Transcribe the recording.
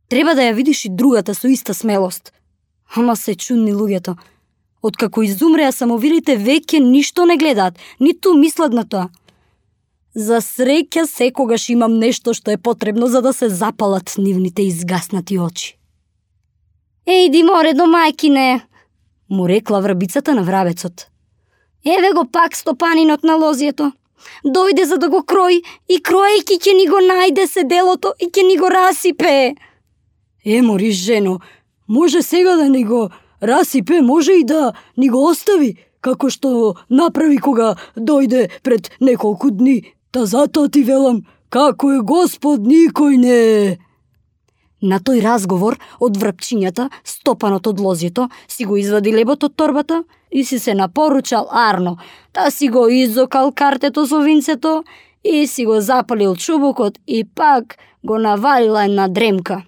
Треба да ја видиш и другата со иста смелост. Ама се чудни луѓето. Откако изумреа самовилите веќе ништо не гледаат, ниту мислат на тоа. За среќа секогаш имам нешто што е потребно за да се запалат нивните изгаснати очи. Ејди море до мајкине, му рекла врабицата на врабецот. Еве го пак стопанинот на лозјето. Дојде за да го крои и кроејќи ќе ни го најде седелото и ќе ни го расипе. Мори жено, може сега да ни го расипе, може и да ни го остави, како што направи кога дојде пред неколку дни. Та затоа ти велам, како е Господ никој не. На тој разговор од врапчињата, стопанот од лозјето, си го извади лебот од торбата и си се напоручал арно, та си го изокал картето со винцето и си го запалил чубукот и пак го навалила една дремка.